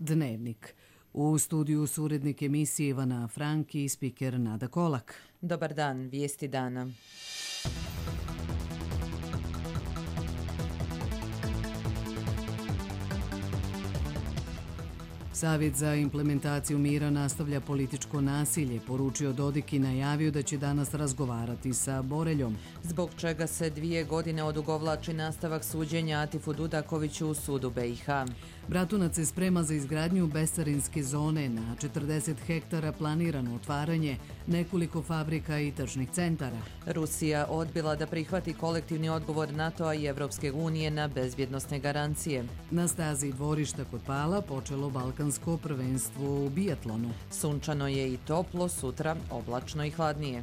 Dnevnik. U studiju su urednik emisije Ivana Franki i spiker Nada Kolak. Dobar dan, vijesti dana. Savjet za implementaciju mira nastavlja političko nasilje, poručio Dodik i najavio da će danas razgovarati sa Boreljom. Zbog čega se 2 godine odugovlači nastavak suđenja Atifu Dudakoviću u sudu BiH. Bratunac se sprema za izgradnju bescarinske zone, na 40 hektara planirano otvaranje nekoliko fabrika i tržnih centara. Rusija odbila da prihvati kolektivni odgovor NATO-a i Evropske unije na bezbjednosne garancije. Na stazi dvorišta kod Pala počelo balkansko prvenstvo u bijatlonu. Sunčano je i toplo, sutra oblačno i hladnije.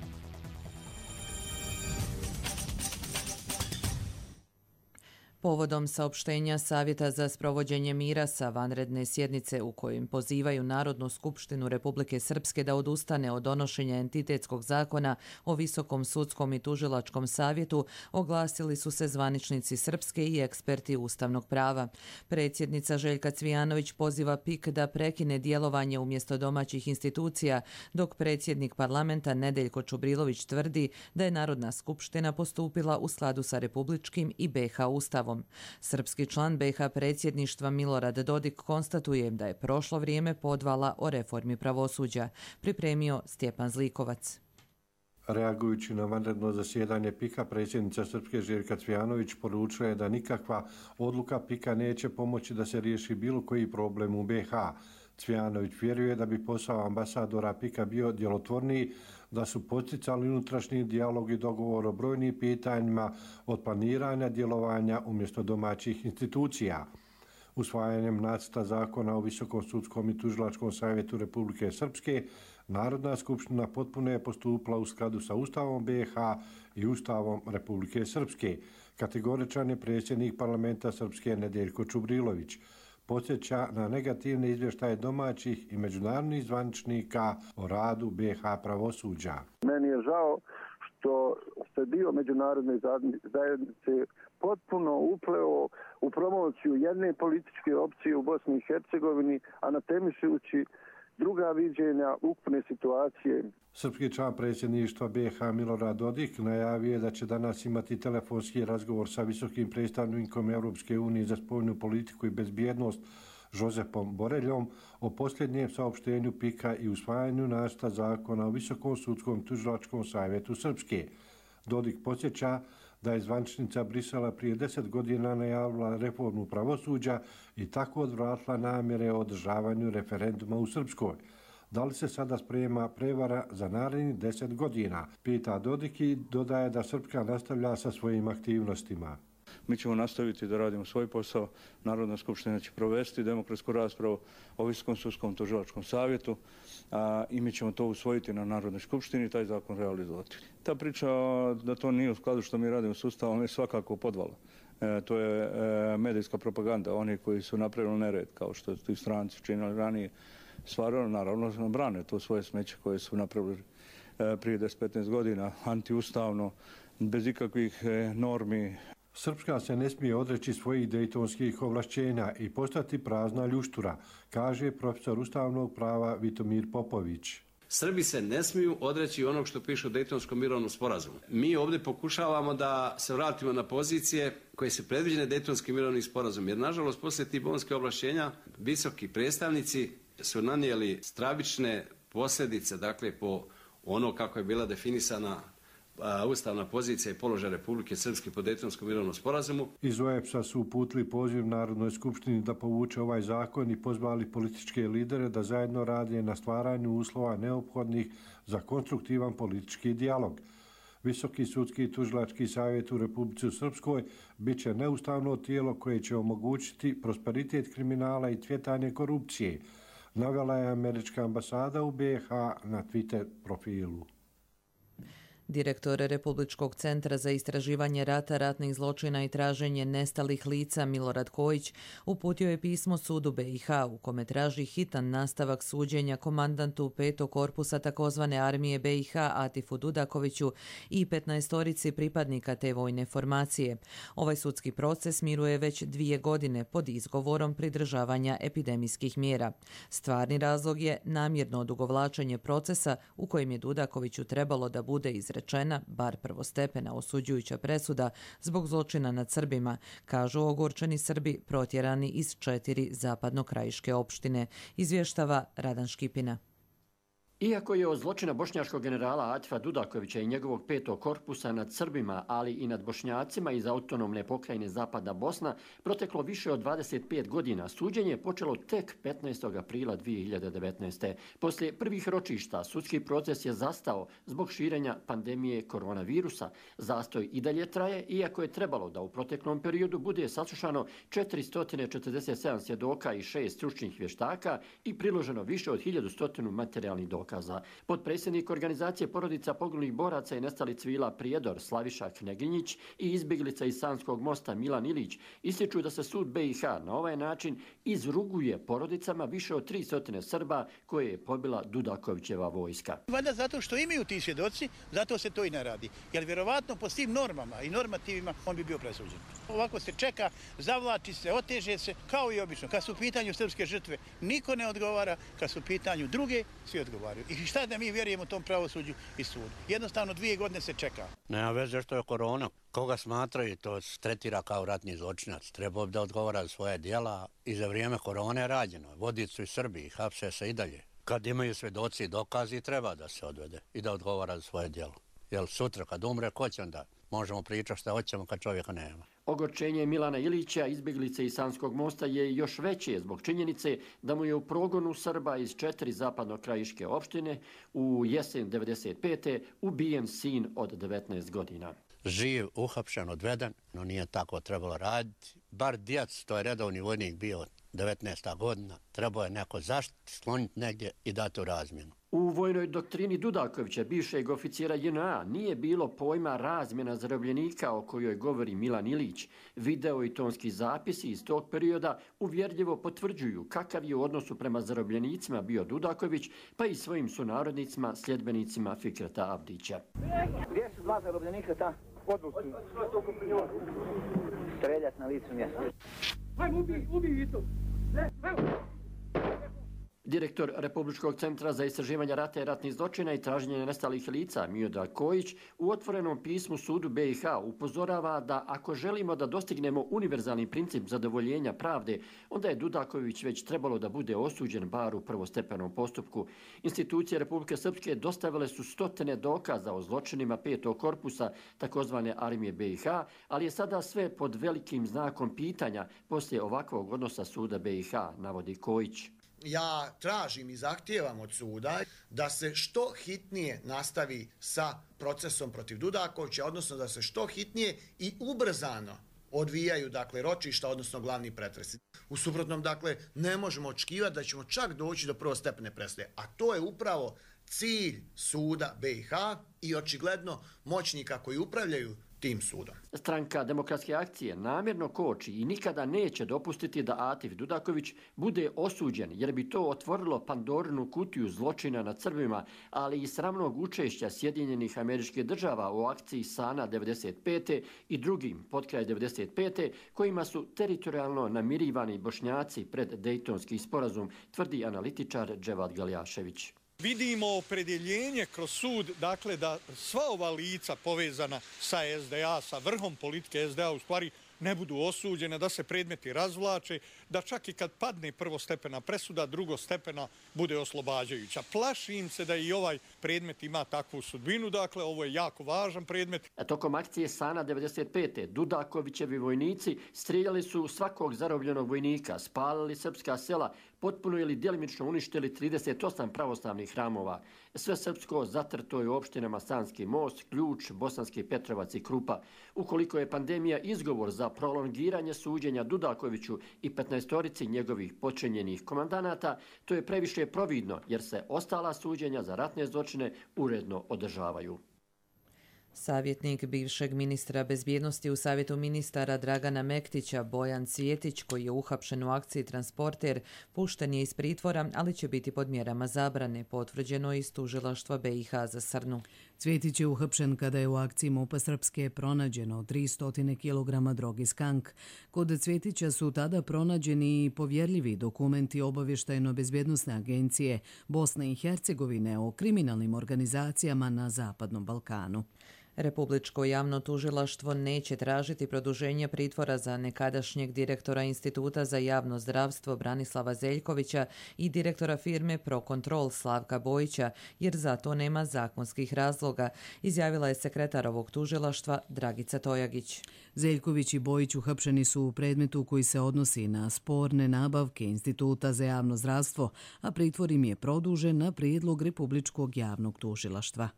Povodom saopštenja Savjeta za sprovođenje mira sa vanredne sjednice u kojim pozivaju Narodnu skupštinu Republike Srpske da odustane od donošenja entitetskog zakona o Visokom sudskom i tužilačkom savjetu, oglasili su se zvaničnici Srpske i eksperti ustavnog prava. Predsjednica Željka Cvijanović poziva PIK da prekine djelovanje umjesto domaćih institucija, dok predsjednik parlamenta Nedeljko Čubrilović tvrdi da je Narodna skupština postupila u skladu sa republičkim i BiH ustavom. Srpski član BiH predsjedništva Milorad Dodik konstatuje da je prošlo vrijeme podvala o reformi pravosuđa. Pripremio Stjepan Zlikovac. Reagujući na vanredno zasjedanje PIK-a, predsjednica Srpske Željka Cvijanović poručila je da nikakva odluka PIK-a neće pomoći da se riješi bilo koji problem u BiH. Cvijanović vjeruje da bi posao ambasadora PIK-a bio djelotvorniji, da su poticali unutrašnji dijalog i dogovor o brojnim pitanjima od planiranja djelovanja umjesto domaćih institucija. Usvajanjem nacrta zakona o Visokom sudskom i tužilačkom savjetu Republike Srpske, Narodna skupština potpuno je postupila u skladu sa Ustavom BiH i Ustavom Republike Srpske. Kategoričan je predsjednik parlamenta Srpske Nedeljko Čubrilović. Podsjeća na negativne izvještaje domaćih i međunarodnih zvaničnika o radu BiH pravosuđa. Meni je žao što se dio međunarodne zajednice potpuno upleo u promociju jedne političke opcije u Bosni i Hercegovini, a natemišući druga viđenja ukupne situacije. Srpski član predsjedništva BiH Milorad Dodik najavio je da će danas imati telefonski razgovor sa visokim predstavnikom Europske unije za spoljnu politiku i bezbjednost Josepom Boreljom o posljednjem saopštenju PIK-a i usvajanju nacrta zakona o Visokom sudskom tužilačkom savjetu Srpske. Dodik podsjeća da je zvaničnica Brisela prije 10 godina najavila reformu pravosuđa i tako odvratila namjere o održavanju referenduma u Srpskoj. Da li se sada sprema prevara za narednih 10 godina? Pita Dodik i dodaje da Srpska nastavlja sa svojim aktivnostima. Mi ćemo nastaviti da radimo svoj posao. Narodna skupština će provesti demokratsku raspravu o Visokom sudskom tužilačkom savjetu i mi ćemo to usvojiti na Narodnoj skupštini i taj zakon realizovati. Ta priča da to nije u skladu što mi radimo s Ustavom je svakako podvala. To je medijska propaganda. Oni koji su napravili nered, kao što su ti stranci činili ranije, stvarno naravno brane to svoje smeće koje su napravili prije 10-15 godina, antiustavno, bez ikakvih normi. Srpska se ne smije odreći svojih dejtonskih ovlašćenja i postati prazna ljuštura, kaže profesor ustavnog prava Vitomir Popović. Srbi se ne smiju odreći onog što piše u Dejtonskom mirovnom sporazumu. Mi ovdje pokušavamo da se vratimo na pozicije koje su predviđene Dejtonskim mirovnim sporazumom, jer nažalost poslije tih bonskih ovlašćenja visoki predstavnici su nanijeli stravične posljedice, dakle po ono kako je bila definisana ustavna pozicija i položaj Republike Srpske po Dejtonskom mirovnom sporazumu. Iz OEBS-a su uputili poziv Narodnoj skupštini da povuče ovaj zakon i pozvali političke lidere da zajedno rade na stvaranju uslova neophodnih za konstruktivan politički dijalog. Visoki sudski i tužilački savjet u Republici Srpskoj bit će neustavno tijelo koje će omogućiti prosperitet kriminala i cvjetanje korupcije, navela je američka ambasada u BiH na Twitter profilu. Direktor Republičkog centra za istraživanje rata, ratnih zločina i traženje nestalih lica Milorad Kojić uputio je pismo sudu BiH u kome traži hitan nastavak suđenja komandantu 5. korpusa takozvane armije BiH Atifu Dudakoviću i 15 pripadnika te vojne formacije. Ovaj sudski proces miruje već 2 godine pod izgovorom pridržavanja epidemijskih mjera. Stvarni razlog je namjerno odugovlačenje procesa u kojem je Dudakoviću trebalo da bude izrečena, bar prvostepena osuđujuća presuda zbog zločina nad Srbima, kažu ogorčeni Srbi protjerani iz 4 zapadnokrajiške opštine, izvještava Radan Škipina. Iako je od zločina bošnjačkog generala Atifa Dudakovića i njegovog 5. korpusa nad Srbima, ali i nad Bošnjacima iz autonomne pokrajine Zapadna Bosna, proteklo više od 25 godina, suđenje je počelo tek 15. aprila 2019. Poslije prvih ročišta, sudski proces je zastao zbog širenja pandemije koronavirusa. Zastoj i dalje traje, iako je trebalo da u proteklom periodu bude saslušano 447 svjedoka i 6 stručnih vještaka i priloženo više od 1100 materijalnih dokaza. Potpredsjednik organizacije porodica poginulih boraca i nestalih civila Prijedor Slaviša Kneginjić i izbjeglica iz Sanskog mosta Milan Ilić ističu da se sud BiH na ovaj način izruguje porodicama više od 300 Srba koje je pobila Dudakovićeva vojska. Valjda zato što imaju ti svjedoci, zato se to i ne radi. Jer vjerovatno po svim normama i normativima on bi bio presuđen. Ovako se čeka, zavlači se, oteže se, kao i obično. Kad su u pitanju srpske žrtve, niko ne odgovara, kad su u pitanju druge, svi odgovaraju. I šta da mi vjerujemo tom pravosuđu i sudu? Jednostavno 2 godine se čeka. Nema veze što je korona. Koga smatraju, to tretira kao ratni zločinac. Treba da odgovara za svoje djela i za vrijeme korone je rađeno. Vodi su i Srbi, hapse se i dalje. Kad imaju svjedoci i dokazi, treba da se odvede i da odgovara za svoje djelo. Jer sutra kad umre, ko će onda? Možemo pričati šta hoćemo kad čovjeka nema. Ogorčenje Milana Ilića, izbjeglice iz Sanskog mosta, je još veće zbog činjenice da mu je u progonu Srba iz 4 zapadnokrajiške opštine u jesen 95. ubijen sin od 19 godina. Živ, uhapšen, odveden, no nije tako trebalo raditi. Bar djec, to je redovni vojnik bio 19. godina, trebao je neko zaštiti, skloniti negdje i dati u razmjenu. U vojnoj doktrini Dudakovića, bivšeg oficira JNA, nije bilo pojma razmjena zarobljenika o kojoj govori Milan Ilić. Video i tonski zapisi iz tog perioda uvjerljivo potvrđuju kakav je u odnosu prema zarobljenicima bio Dudaković, pa i svojim sunarodnicima, sljedbenicima Fikreta Abdića. Gdje su 2 zarobljenika ta? Odluču. Streljat na licu mjesta. Hajmo, ubij i to. Direktor Republičkog centra za istraživanje rata i ratnih zločina i traženje nestalih lica Milorad Kojić u otvorenom pismu sudu BiH upozorava da ako želimo da dostignemo univerzalni princip zadovoljenja pravde, onda je Dudaković već trebalo da bude osuđen bar u prvostepenom postupku. Institucije Republike Srpske dostavile su 100 dokaza o zločinima 5. korpusa takozvane armije BiH, ali je sada sve pod velikim znakom pitanja poslije ovakvog odnosa suda BiH, navodi Kojić. Ja tražim i zahtijevam od suda da se što hitnije nastavi sa procesom protiv Dudakovića, odnosno da se što hitnije i ubrzano odvijaju ročišta, odnosno glavni pretresi. U suprotnom, ne možemo očekivati da ćemo čak doći do prvostepene presude, a to je upravo cilj suda BiH i očigledno moćnika koji upravljaju tim sudom. Stranka Demokratske akcije namjerno koči i nikada neće dopustiti da Atif Dudaković bude osuđen, jer bi to otvorilo Pandorinu kutiju zločina nad Srbima, ali i sramnog učešća Sjedinjenih Američkih Država u akciji Sana 95. i drugim potkraj 95. kojima su teritorijalno namirivani Bošnjaci pred Dejtonski sporazum, tvrdi analitičar Dževad Galjašević. Vidimo opredjeljenje kroz sud, da sva ova lica povezana sa SDA, sa vrhom politike SDA, u stvari ne budu osuđene, da se predmeti razvlače, da čak i kad padne prvostepena presuda, drugostepena bude oslobađajuća. Plašim se da i ovaj predmet ima takvu sudbinu, ovo je jako važan predmet. Tokom akcije Sana 95. Dudakovićevi vojnici strijeljali su svakog zarobljenog vojnika, spalili srpska sela, potpuno ili djelimično uništili 38 pravoslavnih hramova. Sve srpsko zatrto je u opštinama Sanski most, Ključ, Bosanski Petrovac i Krupa. Ukoliko je pandemija izgovor za prolongiranje suđenja Dudakoviću i 15 njegovih počinjenih komandanata, to je previše providno jer se ostala suđenja za ratne zločine uredno održavaju. Savjetnik bivšeg ministra bezbjednosti u Savjetu ministara Dragana Mektića, Bojan Cvjetić, koji je uhapšen u akciji Transporter, pušten je iz pritvora, ali će biti pod mjerama zabrane, potvrđeno iz tužilaštva BiH za Srnu. Cvjetić je uhapšen kada je u akciji MUP-a Srpske pronađeno 300 kg droge skank. Kod Cvjetića su tada pronađeni i povjerljivi dokumenti Obavještajno-bezbjednosne agencije Bosne i Hercegovine o kriminalnim organizacijama na Zapadnom Balkanu. Republičko javno tužilaštvo neće tražiti produženje pritvora za nekadašnjeg direktora Instituta za javno zdravstvo Branislava Zeljkovića i direktora firme Procontrol Slavka Bojića, jer za to nema zakonskih razloga, izjavila je sekretar ovog tužilaštva Dragica Tojagić. Zeljković i Bojić uhapšeni su u predmetu koji se odnosi na sporne nabavke Instituta za javno zdravstvo, a pritvor im je produžen na prijedlog Republičkog javnog tužilaštva.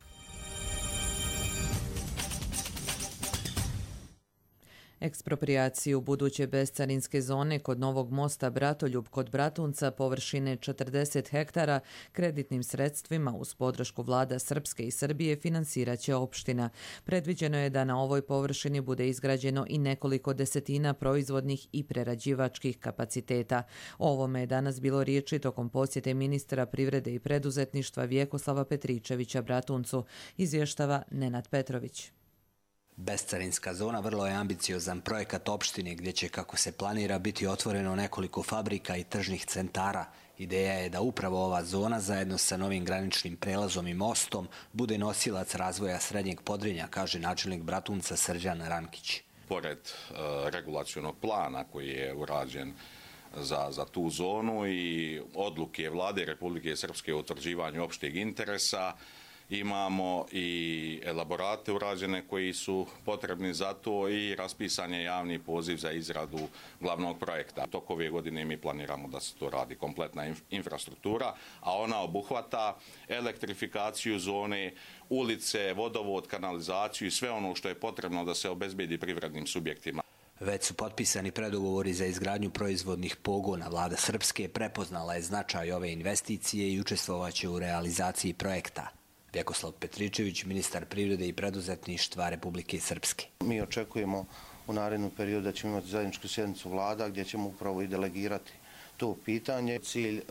Ekspropriaciju buduće bescarinske zone kod novog mosta Bratoljub kod Bratunca površine 40 hektara kreditnim sredstvima uz podršku vlada Srpske i Srbije financirat će opština. Predviđeno je da na ovoj površini bude izgrađeno i nekoliko desetina proizvodnih i prerađivačkih kapaciteta. O ovome je danas bilo riječi tokom posjete ministra privrede i preduzetništva Vjekoslava Petričevića Bratuncu, izvještava Nenad Petrović. Bescarinska zona vrlo je ambiciozan projekat opštine gdje će, kako se planira, biti otvoreno nekoliko fabrika i tržnih centara. Ideja je da upravo ova zona zajedno sa novim graničnim prelazom i mostom bude nosilac razvoja Srednjeg Podrinja, kaže načelnik Bratunca Srđan Rankić. Pored regulacionog plana koji je urađen za tu zonu i odluke vlade Republike Srpske o utvrđivanju opšteg interesa, imamo i elaborate urađene koji su potrebni za to i raspisan je javni poziv za izradu glavnog projekta. Tok ove godine mi planiramo da se to radi kompletna infrastruktura, a ona obuhvata elektrifikaciju zone, ulice, vodovod, kanalizaciju i sve ono što je potrebno da se obezbedi privrednim subjektima. Već su potpisani predogovori za izgradnju proizvodnih pogona. Vlada Srpske prepoznala je značaj ove investicije i učestvovaće u realizaciji projekta. Vjekoslav Petričević, ministar privrede i preduzetništva Republike Srpske. Mi očekujemo u narednom periodu da ćemo imati zajedničku sjednicu vlada gdje ćemo upravo i delegirati to pitanje. Cilj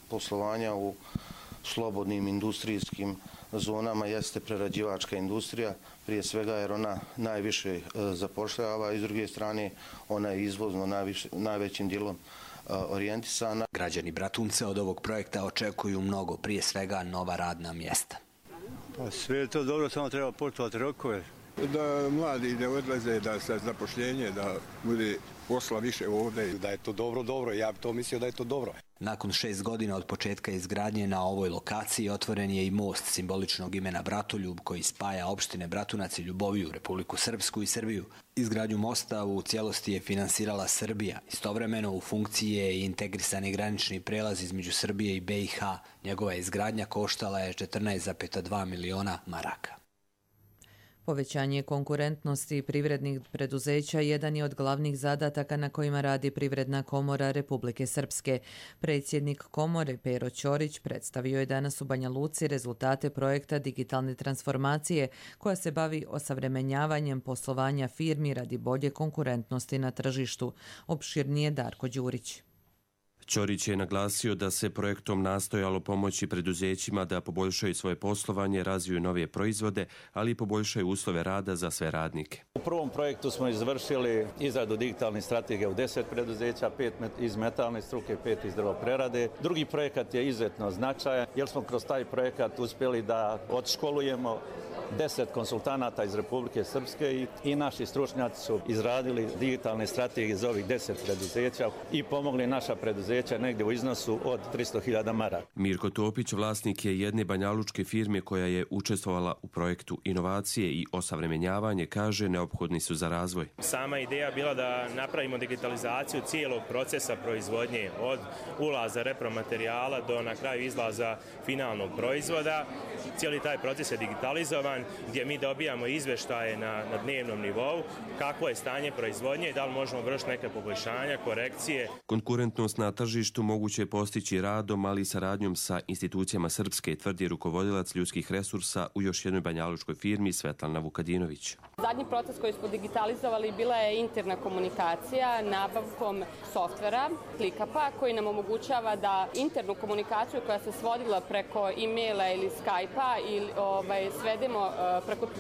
poslovanja u slobodnim industrijskim zonama jeste prerađivačka industrija, prije svega jer ona najviše zapošljava i s druge strane ona je izvozno najvećim dijelom orijentisana. Građani Bratunca od ovog projekta očekuju mnogo, prije svega nova radna mjesta. Pa sve je to dobro, samo treba poštovati rokove. Da mladi ne odlaze, da se zapošljenje, da bude posla više ovdje. Da je to dobro, ja bi to mislio da je to dobro. Nakon 6 godina od početka izgradnje na ovoj lokaciji otvoren je i most simboličnog imena Bratoljub koji spaja opštine Bratunac i Ljuboviju, Republiku Srpsku i Srbiju. Izgradnju mosta u cijelosti je finansirala Srbija. Istovremeno u funkciji je i integrisani granični prelaz između Srbije i BiH. Njegova izgradnja koštala je 14,2 miliona maraka. Povećanje konkurentnosti privrednih preduzeća jedan je od glavnih zadataka na kojima radi Privredna komora Republike Srpske. Predsjednik komore Pero Ćorić predstavio je danas u Banja Luci rezultate projekta digitalne transformacije koja se bavi osavremenjavanjem poslovanja firmi radi bolje konkurentnosti na tržištu. Opširnije Darko Đurić. Ćorić je naglasio da se projektom nastojalo pomoći preduzećima da poboljšaju svoje poslovanje, razviju nove proizvode, ali i poboljšaju uslove rada za sve radnike. U prvom projektu smo izvršili izradu digitalnih strategija u 10 preduzeća, 5 iz metalne struke, 5 iz drvoprerade. Drugi projekat je izuzetno značajan jer smo kroz taj projekat uspjeli da odškolujemo 10 konsultanata iz Republike Srpske i naši stručnjaci su izradili digitalne strategije za ovih 10 preduzeća i pomogli naša preduzeća negdje u iznosu od 300.000 maraka. Mirko Topić vlasnik je jedne banjalučke firme koja je učestvovala u projektu inovacije i osavremenjavanje, kaže neophodni su za razvoj. Sama ideja bila da napravimo digitalizaciju cijelog procesa proizvodnje od ulaza repromaterijala do na kraju izlaza finalnog proizvoda cijeli taj proces je digitalizovan, gdje mi dobijamo izvještaje na dnevnom nivou, kakvo je stanje proizvodnje i da li možemo vršiti neke poboljšanja, korekcije. Konkurentnost na tržištu moguće je postići radom, ali i saradnjom sa institucijama Srpske, tvrdi rukovodilac ljudskih resursa u još jednoj banjalučkoj firmi Svetlana Vukadinović. Zadnji proces koji smo digitalizovali bila je interna komunikacija nabavkom softvera, ClickUpa, koji nam omogućava da internu komunikaciju koja se svodila preko e-maila ili Skype-a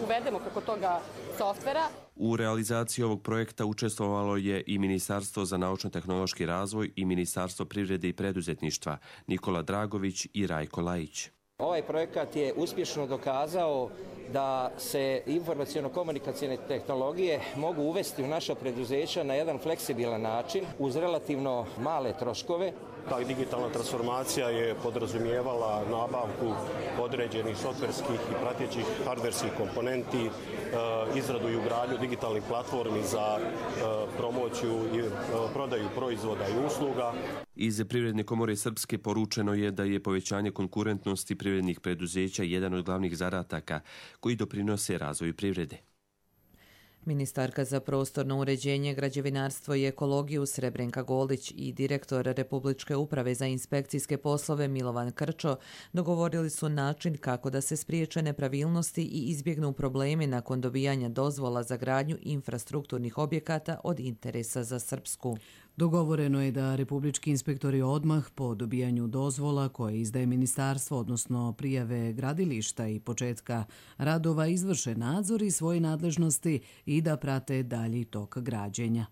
uvedemo preko toga softvera. U realizaciji ovog projekta učestvovalo je i Ministarstvo za naučno-tehnološki razvoj i Ministarstvo privrede i preduzetništva, Nikola Dragović i Rajko Lajić. Ovaj projekat je uspješno dokazao da se informaciono-komunikacijne tehnologije mogu uvesti u naša preduzeća na jedan fleksibilan način uz relativno male troškove. Ta digitalna transformacija je podrazumijevala nabavku određenih softverskih i pratećih hardverskih komponenti, izradu i ugradnju digitalnih platformi za promociju i prodaju proizvoda i usluga. Iz Privredne komore Srpske poručeno je da je povećanje konkurentnosti privrednih preduzeća jedan od glavnih zadataka koji doprinose razvoju privrede. Ministarka za prostorno uređenje, građevinarstvo i ekologiju Srebrenka Golić i direktor Republičke uprave za inspekcijske poslove Milovan Krčo dogovorili su način kako da se spriječe nepravilnosti i izbjegnu problemi nakon dobijanja dozvola za gradnju infrastrukturnih objekata od interesa za Srpsku. Dogovoreno je da republički inspektori odmah po dobijanju dozvola koje izdaje ministarstvo, odnosno prijave gradilišta i početka radova, izvrše nadzor i svoje nadležnosti i da prate dalji tok građenja.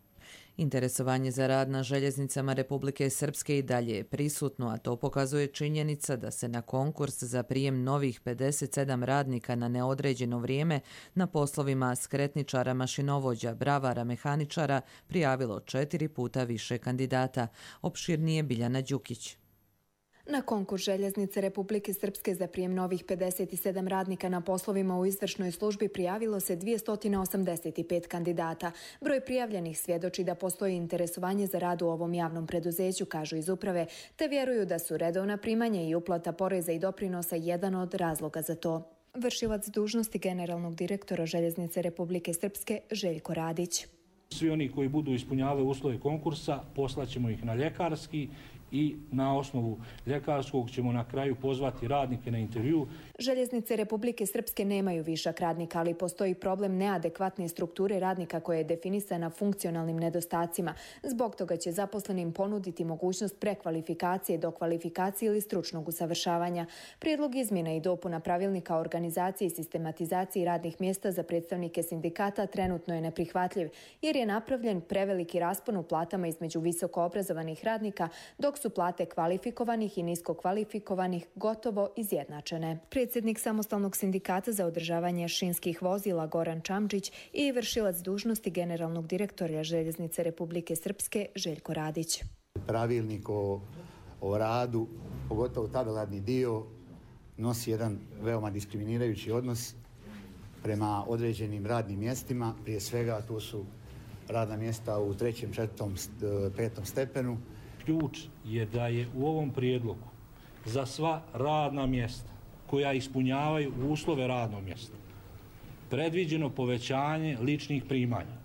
Interesovanje za rad na željeznicama Republike Srpske i dalje je prisutno, a to pokazuje činjenica da se na konkurs za prijem novih 57 radnika na neodređeno vrijeme na poslovima skretničara, mašinovođa, bravara, mehaničara prijavilo 4 puta više kandidata. Opširnije Biljana Đukić. Na konkurs Željeznice Republike Srpske za prijem novih 57 radnika na poslovima u izvršnoj službi prijavilo se 285 kandidata. Broj prijavljenih svjedoči da postoji interesovanje za rad u ovom javnom preduzeću, kažu iz uprave, te vjeruju da su redovna primanja i uplata poreza i doprinosa jedan od razloga za to. Vršilac dužnosti generalnog direktora Željeznice Republike Srpske Željko Radić. Svi oni koji budu ispunjavali uslove konkursa poslaćemo ih na ljekarski i na osnovu ljekarskog ćemo na kraju pozvati radnike na intervju. Željeznice Republike Srpske nemaju višak radnika, ali postoji problem neadekvatne strukture radnika koja je definisana funkcionalnim nedostacima. Zbog toga će zaposlenim ponuditi mogućnost prekvalifikacije, dokvalifikacije ili stručnog usavršavanja. Prijedlog izmjena i dopuna pravilnika o organizaciji i sistematizaciji radnih mjesta za predstavnike sindikata trenutno je neprihvatljiv, jer je napravljen preveliki raspon u platama između visoko obrazovanih radnika, dok su plate kvalifikovanih i nisko kvalifikovanih gotovo izjednačene. Predsjednik Samostalnog sindikata za održavanje šinskih vozila Goran Čamčić i vršilac dužnosti generalnog direktora Željeznice Republike Srpske Željko Radić. Pravilnik o radu, pogotovo tabelarni dio, nosi jedan veoma diskriminirajući odnos prema određenim radnim mjestima. Prije svega tu su radna mjesta u 3., 4., 5. stepenu. Ključ je da je u ovom prijedlogu za sva radna mjesta koja ispunjavaju uslove radnog mjesta predviđeno povećanje ličnih primanja.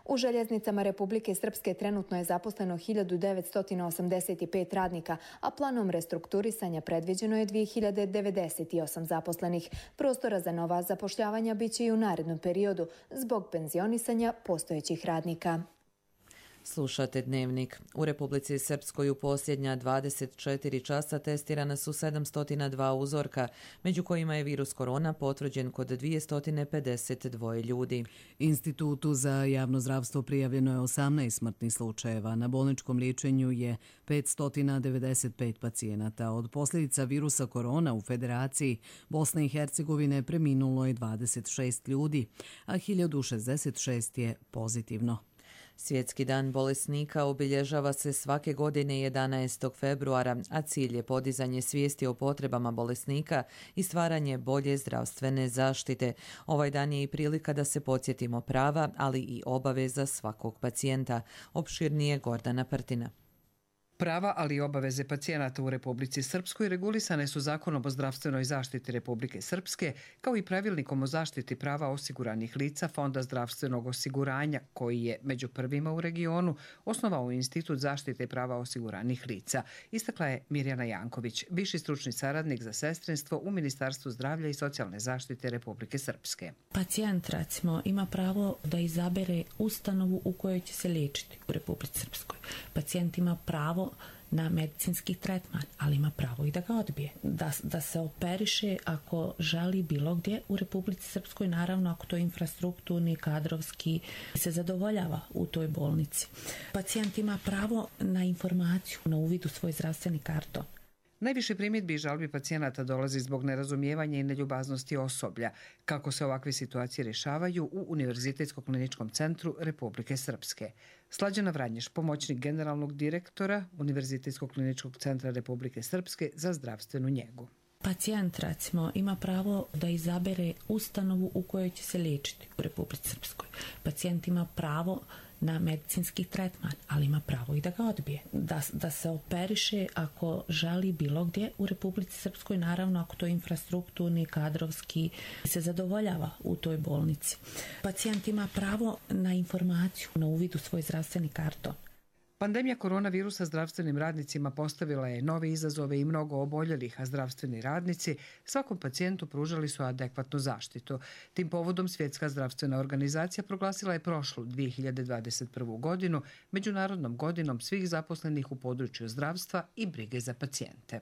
U Željeznicama Republike Srpske trenutno je zaposleno 1985 radnika, a planom restrukturisanja predviđeno je 2098 zaposlenih. Prostora za nova zapošljavanja biće i u narednom periodu zbog penzionisanja postojećih radnika. Slušate Dnevnik. U Republici Srpskoj u posljednja 24 časa testirana su 702 uzorka, među kojima je virus korona potvrđen kod 252 ljudi. Institutu za javno zdravstvo prijavljeno je 18 smrtnih slučajeva. Na bolničkom liječenju je 595 pacijenata. Od posljedica virusa korona u Federaciji Bosne i Hercegovine preminulo je 26 ljudi, a 1066 je pozitivno. Svjetski dan bolesnika obilježava se svake godine 11. februara, a cilj je podizanje svijesti o potrebama bolesnika i stvaranje bolje zdravstvene zaštite. Ovaj dan je i prilika da se podsjetimo prava, ali i obaveza svakog pacijenta. Opširnije Gordana Prtina. Prava, ali i obaveze pacijenata u Republici Srpskoj regulisane su Zakonom o zdravstvenoj zaštiti Republike Srpske, kao i Pravilnikom o zaštiti prava osiguranih lica Fonda zdravstvenog osiguranja, koji je među prvima u regionu osnovao Institut zaštite prava osiguranih lica, istakla je Mirjana Janković, viši stručni saradnik za sestrinstvo u Ministarstvu zdravlja i socijalne zaštite Republike Srpske. Pacijent, recimo, ima pravo da izabere ustanovu u kojoj će se liječiti u Republici Srpskoj. Pacijent ima pravo na medicinski tretman, ali ima pravo i da ga odbije. Da se operiše ako želi bilo gdje u Republici Srpskoj, naravno ako to infrastrukturni, kadrovski se zadovoljava u toj bolnici. Pacijent ima pravo na informaciju, na uvid u svoj zdravstveni karton. Najviše primjedbi i žalbi pacijenata dolazi zbog nerazumijevanja i neljubaznosti osoblja. Kako se ovakve situacije rješavaju u Univerzitetskom kliničkom centru Republike Srpske. Slađana Vranješ, pomoćnik generalnog direktora Univerzitetskog kliničkog centra Republike Srpske za zdravstvenu njegu. Pacijent, recimo, ima pravo da izabere ustanovu u kojoj će se liječiti u Republici Srpskoj. Pacijent ima pravo na medicinski tretman, ali ima pravo i da ga odbije. Da se operiše ako želi bilo gdje u Republici Srpskoj, naravno ako to infrastrukturni, kadrovski se zadovoljava u toj bolnici. Pacijent ima pravo na informaciju, na uvid u svoj zdravstveni karton. Pandemija koronavirusa zdravstvenim radnicima postavila je nove izazove i mnogo oboljelih, a zdravstveni radnici svakom pacijentu pružali su adekvatnu zaštitu. Tim povodom Svjetska zdravstvena organizacija proglasila je prošlu 2021. godinu Međunarodnom godinom svih zaposlenih u području zdravstva i brige za pacijente.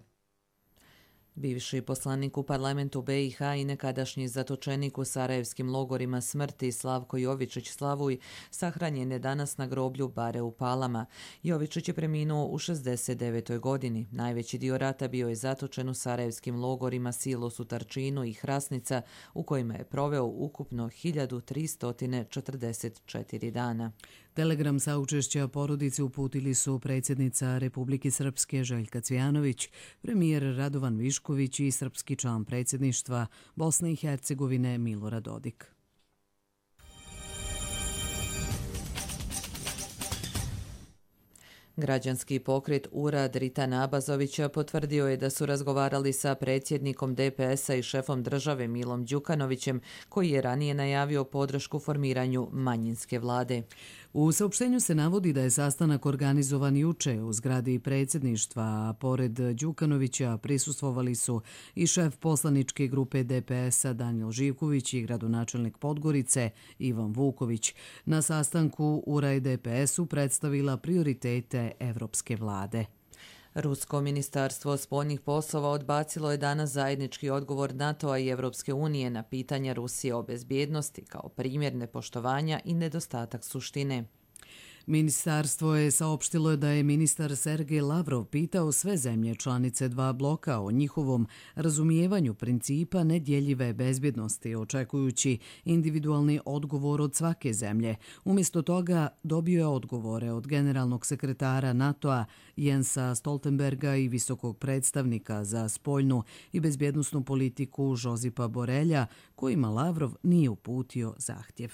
Bivši poslanik u parlamentu BiH i nekadašnji zatočenik u sarajevskim logorima smrti Slavko Jovičić Slavuj sahranjen je danas na groblju Bare u Palama. Jovičić je preminuo u 69. godini. Najveći dio rata bio je zatočen u sarajevskim logorima Silos u Tarčinu i Hrasnica, u kojima je proveo ukupno 1344 dana. Telegram saučešća porodici uputili su predsjednica Republike Srpske Željka Cvijanović, premijer Radovan Višković i srpski član predsjedništva Bosne i Hercegovine Milorad Dodik. Građanski pokret Urad Ritana Abazovića potvrdio je da su razgovarali sa predsjednikom DPS-a i šefom države Milom Đukanovićem, koji je ranije najavio podršku formiranju manjinske vlade. U saopštenju se navodi da je sastanak organizovan juče u zgradi predsjedništva, a pored Đukanovića prisustvovali su i šef poslaničke grupe DPS-a Danijel Živković i gradonačelnik Podgorice Ivan Vuković. Na sastanku URA i DPS-u predstavila prioritete evropske vlade. Rusko ministarstvo spoljnih poslova odbacilo je danas zajednički odgovor NATO-a i Evropske unije na pitanja Rusije o bezbjednosti kao primjer nepoštovanja i nedostatak suštine. Ministarstvo je saopštilo da je ministar Sergej Lavrov pitao sve zemlje članice dva bloka o njihovom razumijevanju principa nedjeljive bezbjednosti, očekujući individualni odgovor od svake zemlje. Umjesto toga dobio je odgovore od generalnog sekretara NATO-a Jensa Stoltenberga i visokog predstavnika za spoljnu i bezbjednosnu politiku Žozipa Borelja, kojima Lavrov nije uputio zahtjev.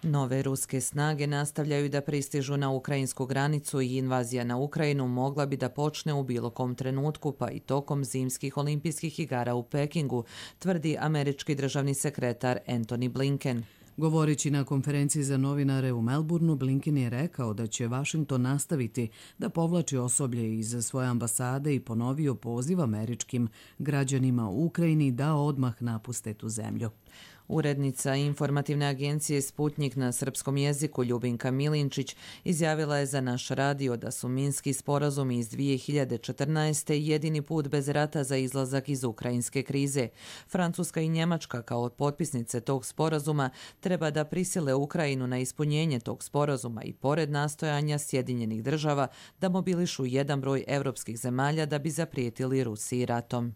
Nove ruske snage nastavljaju da pristižu na ukrajinsku granicu i invazija na Ukrajinu mogla bi da počne u bilo kom trenutku, pa i tokom zimskih olimpijskih igara u Pekingu, tvrdi američki državni sekretar Antony Blinken. Govoreći na konferenciji za novinare u Melbourneu, Blinken je rekao da će Washington nastaviti da povlači osoblje iz svoje ambasade i ponovio poziv američkim građanima u Ukrajini da odmah napuste tu zemlju. Urednica informativne agencije Sputnjik na srpskom jeziku Ljubinka Milinčić izjavila je za naš radio da su Minski sporazumi iz 2014. jedini put bez rata za izlazak iz ukrajinske krize. Francuska i Njemačka kao potpisnice tog sporazuma treba da prisile Ukrajinu na ispunjenje tog sporazuma i pored nastojanja Sjedinjenih država da mobilišu jedan broj evropskih zemalja da bi zaprijetili Rusiji ratom.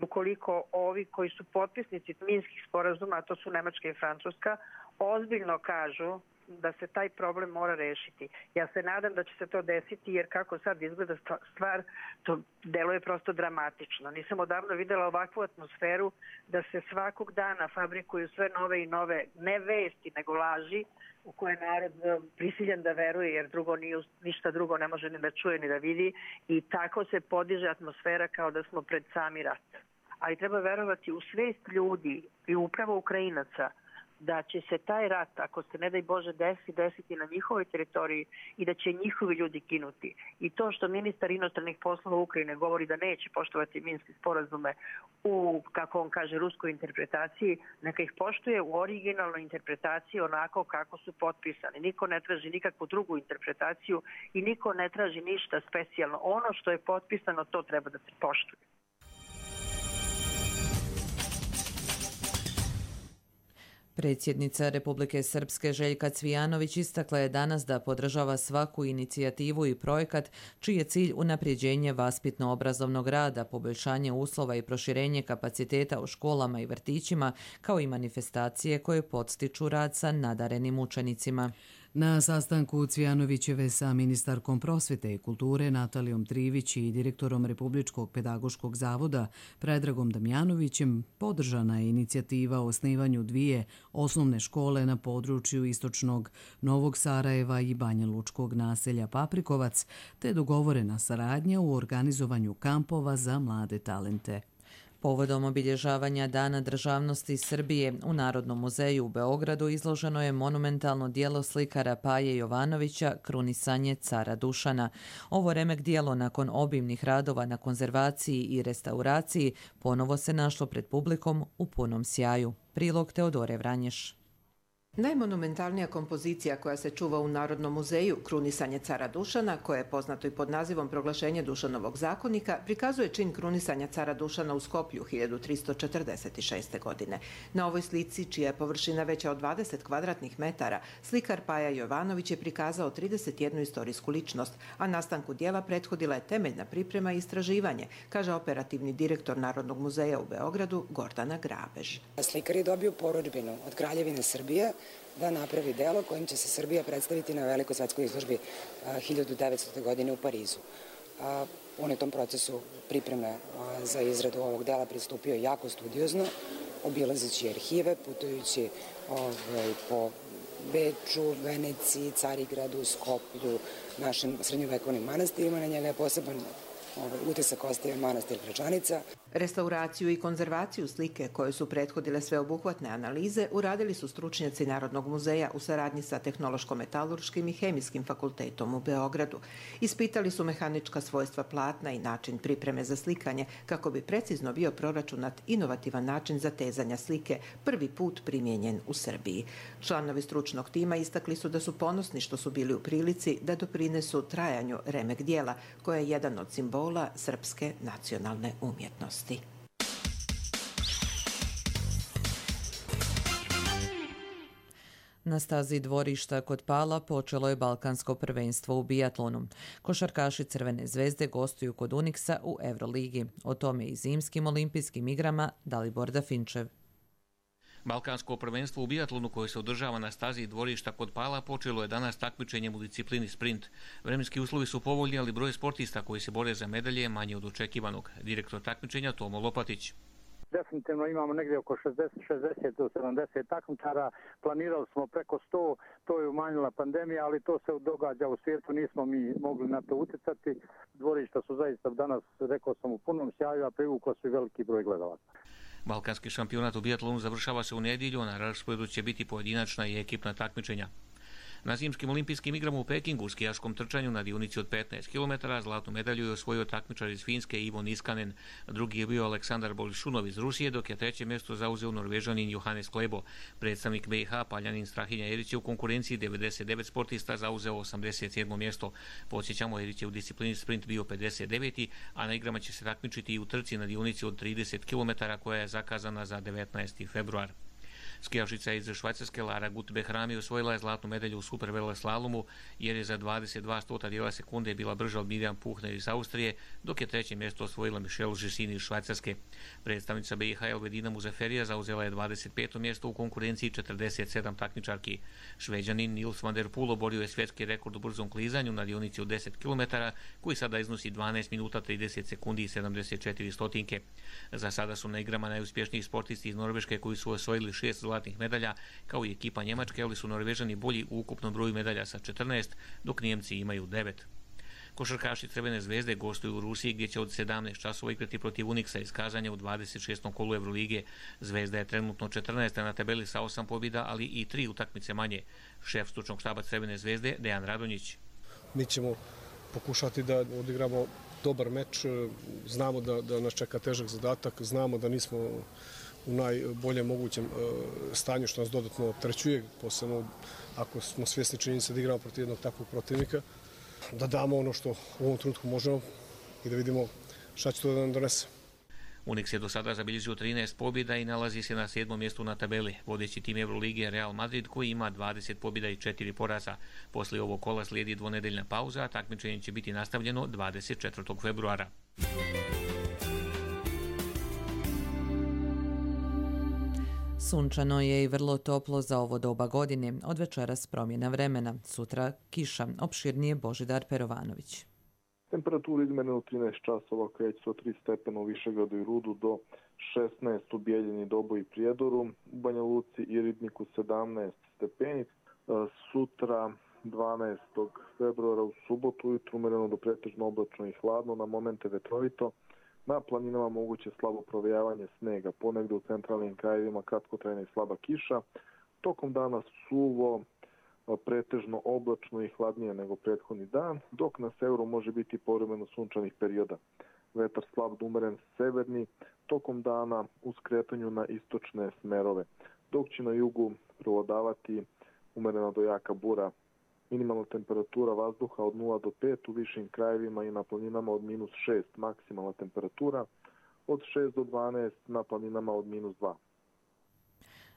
Ukoliko ovi koji su potpisnici minskih sporazuma, a to su Nemačka i Francuska, ozbiljno kažu da se taj problem mora rešiti. Ja se nadam da će se to desiti, jer kako sad izgleda stvar, to deluje prosto dramatično. Nisam odavno videla ovakvu atmosferu da se svakog dana fabrikuju sve nove i nove, ne vesti, nego laži, u koje narod prisiljen da veruje, jer ništa drugo ne može ni da čuje ni da vidi, i tako se podiže atmosfera kao da smo pred sami rat. Ali treba verovati u svest ljudi i upravo Ukrajinaca da će se taj rat, ako se ne daj Bože desiti na njihovoj teritoriji i da će njihovi ljudi ginuti. I to što ministar inostranih poslova Ukrajine govori da neće poštovati minske sporazume u, kako on kaže, ruskoj interpretaciji, neka ih poštuje u originalnoj interpretaciji onako kako su potpisani. Niko ne traži nikakvu drugu interpretaciju i niko ne traži ništa specijalno. Ono što je potpisano, to treba da se poštuje. Predsjednica Republike Srpske Željka Cvijanović istakla je danas da podržava svaku inicijativu i projekat čiji je cilj unapređenje vaspitno-obrazovnog rada, poboljšanje uslova i proširenje kapaciteta u školama i vrtićima, kao i manifestacije koje podstiču rad sa nadarenim učenicima. Na sastanku Cvijanovićeve sa ministarkom prosvete i kulture Natalijom Trivić i direktorom Republičkog pedagoškog zavoda Predragom Damjanovićem podržana je inicijativa o osnivanju 2 osnovne škole na području istočnog Novog Sarajeva i Banja Lučkog naselja Paprikovac, te dogovorena saradnja u organizovanju kampova za mlade talente. Povodom obilježavanja Dana državnosti Srbije u Narodnom muzeju u Beogradu izloženo je monumentalno djelo slikara Paje Jovanovića Krunisanje cara Dušana. Ovo remek djelo nakon obimnih radova na konzervaciji i restauraciji ponovo se našlo pred publikom u punom sjaju. Prilog Teodore Vranješ. Najmonumentalnija kompozicija koja se čuva u Narodnom muzeju, Krunisanje cara Dušana, koje je poznato i pod nazivom Proglašenje Dušanovog zakonika, prikazuje čin krunisanja cara Dušana u Skoplju 1346. godine. Na ovoj slici, čija je površina veća od 20 kvadratnih metara, slikar Paja Jovanović je prikazao 31 istorijsku ličnost, a nastanku dijela prethodila je temeljna priprema i istraživanje, kaže operativni direktor Narodnog muzeja u Beogradu Gordana Grabež. Slikar je dobio porudžbinu od Kraljevine Srbije da napravi delo kojim će se Srbija predstaviti na velikoj svetskoj izložbi 1900. godine u Parizu. On je tom procesu pripreme za izradu ovog dela pristupio jako studiozno, obilazeći arhive, putujući po Beču, Veneciji, Carigradu, Skoplju, našim srednjovekovnim manastirima. Na njega je poseban utisak ostavio manastir Gračanica. Restauraciju i konzervaciju slike, koje su prethodile sveobuhvatne analize, uradili su stručnjaci Narodnog muzeja u saradnji sa Tehnološko-metalurškim i Hemijskim fakultetom u Beogradu. Ispitali su mehanička svojstva platna i način pripreme za slikanje, kako bi precizno bio proračunat inovativan način zatezanja slike, prvi put primijenjen u Srbiji. Članovi stručnog tima istakli su da su ponosni što su bili u prilici da doprinesu trajanju remek dijela, koje je jedan od simbola srpske nacionalne umjetnosti. Na stazi dvorišta kod Pala počelo je balkansko prvenstvo u bijatlonu. Košarkaši Crvene zvezde gostuju kod Uniksa u Euroligi. O tome i zimskim olimpijskim igrama Dalibor Dafinčev. Balkansko prvenstvo u bijatlonu koje se održava na stazi dvorišta kod Pala počelo je danas takmičenjem u disciplini sprint. Vremenski uslovi su povoljni, ali broj sportista koji se bore za medalje je manje od očekivanog. Direktor takmičenja Tomo Lopatić. Definitivno imamo negdje oko 60 do 70 takmičara. Planirali smo preko 100, to je umanjila pandemija, ali to se događa u svijetu, nismo mi mogli na to utjecati. Dvorišta su zaista danas, rekao sam, u punom sjaju, a privukla su i veliki broj gledalaca. Balkanski šampionat u bijatlonu završava se u nedjelju, a na rasporedu će biti pojedinačna i ekipna takmičenja. Na zimskim olimpijskim igrama u Pekingu u skijaškom trčanju na dionici od 15 km zlatnu medalju je osvojio takmičar iz Finske Ivo Niskanen. Drugi je bio Aleksandar Bolišunov iz Rusije, dok je treće mjesto zauzeo Norvežanin Johannes Klebo. Predstavnik BiH Paljanin Strahinja Erić je u konkurenciji 99 sportista zauzeo 87. mjesto. Podsjećamo, Erić je u disciplini sprint bio 59. a na igrama će se takmičiti i u trci na dionici od 30 km koja je zakazana za 19. februar. Skijašica iz Švajcarske Lara Gut-Behrami osvojila je zlatnu medalju u superveleslalomu jer je za 22 dijela sekunde bila brža od Mirjam Puchner iz Austrije, dok je treće mjesto osvojila Michelle Žesini iz Švajcarske. Predstavnica BiH Elvedina Muzaferija zauzela je 25. mjesto u konkurenciji 47 takmičarki. Šveđanin Nils van der Poel oborio je svjetski rekord u brzom klizanju na dionici od 10 km, koji sada iznosi 12 minuta 30 sekundi i 74 stotinke. Za sada su na igrama najuspješniji sportisti iz Norveške koji su osvojili 6 zlatnih medalja, kao i ekipa Njemačke, ali su Norvežani bolji u ukupnom broju medalja sa 14, dok Nijemci imaju 9. Košarkaši Crvene zvezde gostuju u Rusiji gdje će od 17 časova igrati protiv Uniksa iz Kazanja u 26. kolu Evrolige. Zvezda je trenutno 14. na tabeli sa 8 pobjeda, ali i 3 utakmice manje. Šef stručnog štaba Crvene zvezde Dejan Radonjić. Mi ćemo pokušati da odigramo dobar meč, znamo da nas čeka težak zadatak, znamo da nismo u najboljem mogućem stanju što nas dodatno opterećuje, posebno ako smo svjesni činjenice da igramo protiv jednog takvog protivnika, da damo ono što u ovom trenutku možemo i da vidimo šta će to da nam donese. Uniks je do sada zabilježio 13 pobjeda i nalazi se na 7. mjestu na tabeli. Vodeći tim Evrolige je Real Madrid koji ima 20 pobjeda i 4 poraza. Poslije ovog kola slijedi dvonedeljna pauza, a takmičenje će biti nastavljeno 24. februara. Sunčano je i vrlo toplo za ovo doba godine. Od večeras promjena vremena. Sutra kiša. Opširnije Božidar Perovanović. Temperatura izmerena u 13 časova kreće se od 3 stepena u Višegradu i Rudu do 16 u Bijeljini, Doboju i Prijedoru, u Banja Luci i Ribniku 17 stepeni. Sutra 12. februara u subotu ujutru umereno do pretežno oblačno i hladno, na momente vetrovito. Na planinama moguće slabo provejavanje snega, ponegdje u centralnim krajevima kratkotrajna i slaba kiša. Tokom dana suvo, pretežno oblačno i hladnije nego prethodni dan, dok na severu može biti povremeno sunčanih perioda. Vetar slab do umeren severni, tokom dana u skretanju na istočne smerove, dok će na jugu prevladavati umerena do jaka bura. Minimalna temperatura vazduha od 0 do 5 u višim krajevima i na planinama od -6, maksimalna temperatura od 6 do 12 na planinama od -2.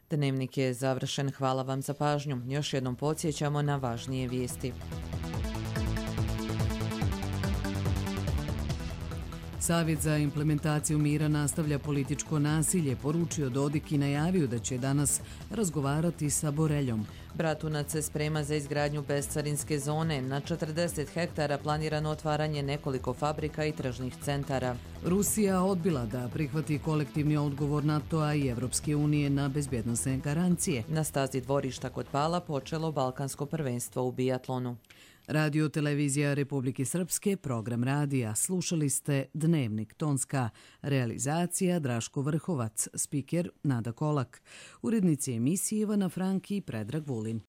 Dnevnik je završen. Hvala vam za pažnju. Još jednom podsjećamo na važnije vijesti. Savjet za implementaciju mira nastavlja političko nasilje, poručio Dodik i najavio da će danas razgovarati sa Boreljom. Bratunac se sprema za izgradnju bescarinske zone. Na 40 hektara planirano otvaranje nekoliko fabrika i tržnih centara. Rusija odbila da prihvati kolektivni odgovor NATO-a i Evropske unije na bezbjednosne garancije. Na stazi dvorišta kod Pala počelo Balkansko prvenstvo u biatlonu. Radio Televizija Republike Srpske, program radija. Slušali ste Dnevnik Tonska. Realizacija Draško Vrhovac, spiker Nada Kolak. Urednici emisije Ivana Franki i Predrag Vulin.